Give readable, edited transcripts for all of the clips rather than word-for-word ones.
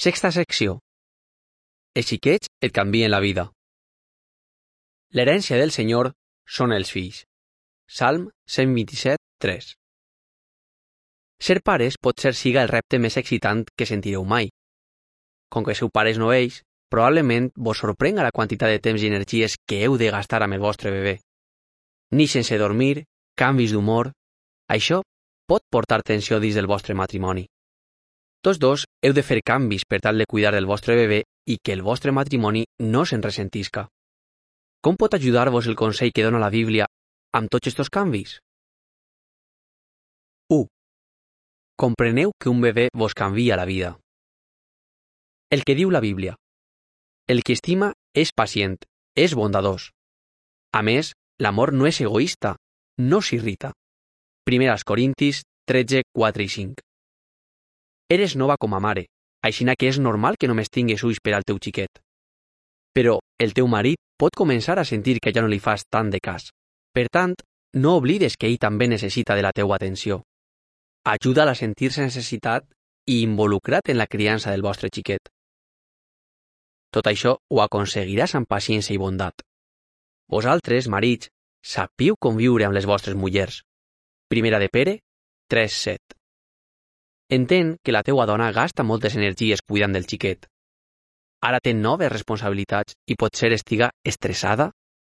Sexta secció. Els xiquets et canvien la vida. L'herència del Senyor són els fills. Salm 127, 3. Ser pares potser siga el repte més excitant que sentireu mai. Com que sou pares novells, probablement vos sorprenga la quantitat de temps i energies que heu de gastar amb el vostre bebè. Ni sense dormir, canvis d'humor. Això pot portar tensió dins del vostre matrimoni. Tots dos heu de fer canvis per tal de cuidar del vostre bebè i que el vostre matrimoni no se'n ressentisca. Com pot ajudar-vos el consell que dona la Bíblia amb tots estos canvis? 1. Compreneu que un bebè vos canvia la vida. El que diu la Bíblia. El que estima és pacient, és bondadós. A més, l'amor no és egoista, no s'irrita. 1 Corintis 13, 4 i 5. Eres nova com a mare, aixina que és normal que només tingues ulls per al teu xiquet. Però el teu marit pot començar a sentir que ja no li fas tant de cas. Per tant, no oblides que ell també necessita de la teua atenció. Ajuda'l a sentir-se necessitat i involucrat en la criança del vostre xiquet. Tot això ho aconseguiràs amb paciència i bondat. Vosaltres, marits, sapiu conviure amb les vostres mullers. 1 de Pere 3, 7. Entén que la teua dona gasta moltes energies cuidant del xiquet. Ara té noves responsabilitats i potser estiga estressada,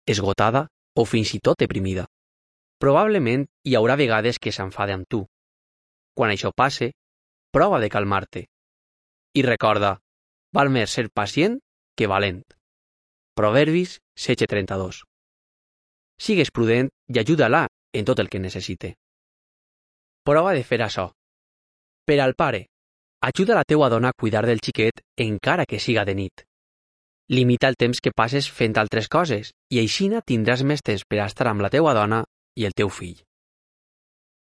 esgotada o fins i tot deprimida. Probablement hi haurà vegades que s'enfada amb tu. Quan això passe, prova de calmar-te. I recorda, val més ser pacient que valent. Proverbis 16:32. Sigues prudent i ajuda-la en tot el que necessite. Prova de fer això. Per al pare, ajuda la teua dona a cuidar del xiquet encara que siga de nit. Limita el temps que passes fent altres coses i aixina tindràs més temps per a estar amb la teua dona i el teu fill.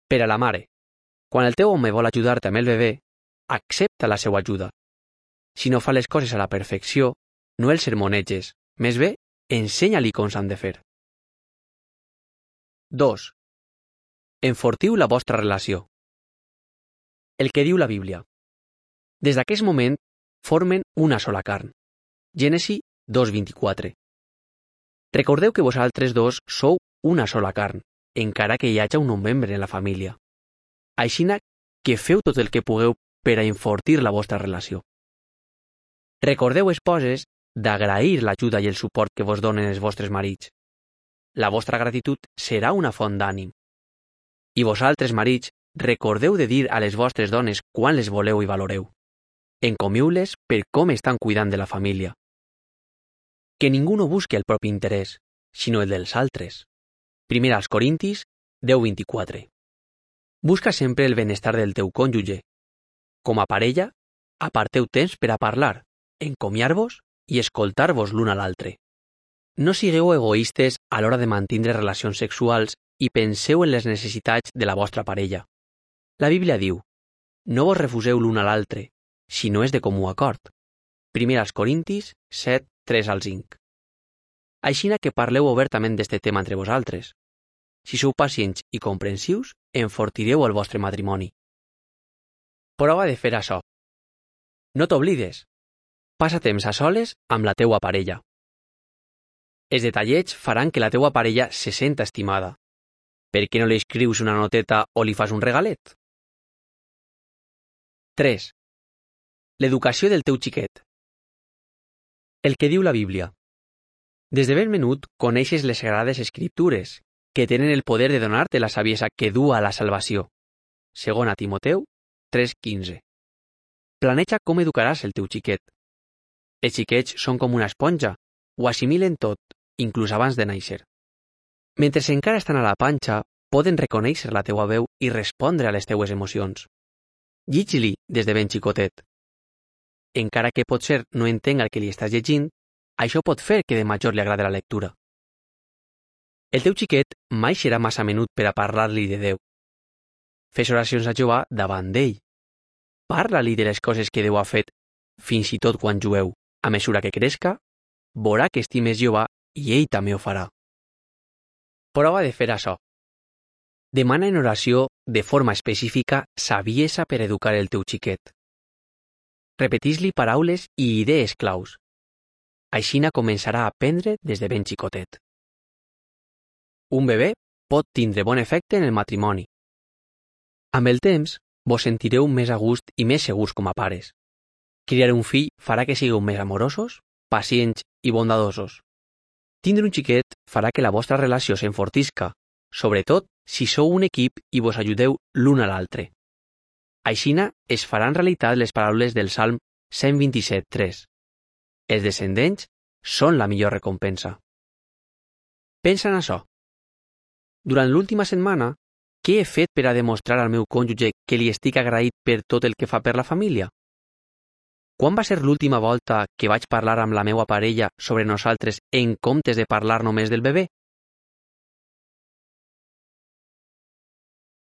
Per a la mare, quan el teu home vol ajudar-te amb el bebè, accepta la seva ajuda. Si no fa les coses a la perfecció, no el sermoneges, més bé, ensenya-li com s'han de fer. 2. Enfortiu la vostra relació. El que diu la Bíblia. Des d'aquest moment, formen una sola carn. Gènesi 2:24. Recordeu que vosaltres dos sou una sola carn, encara que hi hagi un nou membre en la família. Aixina que feu tot el que pugueu per a enfortir la vostra relació. Recordeu, esposes, d'agrair l'ajuda i el suport que vos donen els vostres marits. La vostra gratitud serà una font d'ànim. I vosaltres, marits, recordeu de dir a les vostres dones quan les voleu i valoreu. Encomiu-les per com estan cuidant de la família. Que ningú no busqui el propi interès, sinó el dels altres. 1 Corintis 10:24. Busca sempre el benestar del teu cònjuge. Com a parella, aparteu temps per a parlar, encomiar-vos i escoltar-vos l'un a l'altre. No sigueu egoistes a l'hora de mantenir relacions sexuals i penseu en les necessitats de la vostra parella. La Bíblia diu, no vos refuseu l'un a l'altre, si no és de comú acord. 1 Corintis 7, 3 al 5. Aixina que parleu obertament d'este tema entre vosaltres. Si sou pacients i comprensius, enfortireu el vostre matrimoni. Prova de fer això. No t'oblides. Passa temps a soles amb la teua parella. Els detallets faran que la teua parella se senta estimada. Per què no li escrius una noteta o li fas un regalet? 3. L'educació del teu xiquet. El que diu la Bíblia. Des de ben menut coneixes les sagrades escriptures, que tenen el poder de donar-te la saviesa que du a la salvació. 2 Timoteu 3:15. Planeja com educaràs el teu xiquet. Els xiquets són com una esponja, ho assimilen tot, inclús abans de néixer. Mentre encara estan a la panxa, poden reconèixer la teua veu i respondre a les teues emocions. Llig-li des de ben xicotet. Encara que potser no entenga el que li estàs llegint, això pot fer que de major li agrade la lectura. El teu xiquet mai serà massa menut per a parlar-li de Déu. Fes oracions a Jehovà davant d'ell. Parla-li de les coses que Déu ha fet, fins i tot quan jugueu. A mesura que crezca, veurà que estimes Jehovà i ell també ho farà. Prova de fer això. Demana en oració de forma específica saviesa per educar el teu xiquet. Repetís-li paraules i idees claus. Aixina començarà a aprendre des de ben xicotet. Un bebè pot tindre bon efecte en el matrimoni. Amb el temps, vos sentireu més a gust i més segurs com a pares. Criar un fill farà que sigueu més amorosos, pacients i bondadosos. Tindre un xiquet farà que la vostra relació s'enfortisca, sobretot si sou un equip i vos ajudeu l'un a l'altre. Aixina es faran realitat les paraules del Salm 127:3. Els descendents són la millor recompensa. Pensa en això. Durant l'última setmana, què he fet per a demostrar al meu cònjuge que li estic agraït per tot el que fa per la família? Quan va ser l'última volta que vaig parlar amb la meva parella sobre nosaltres en comptes de parlar només del bebè?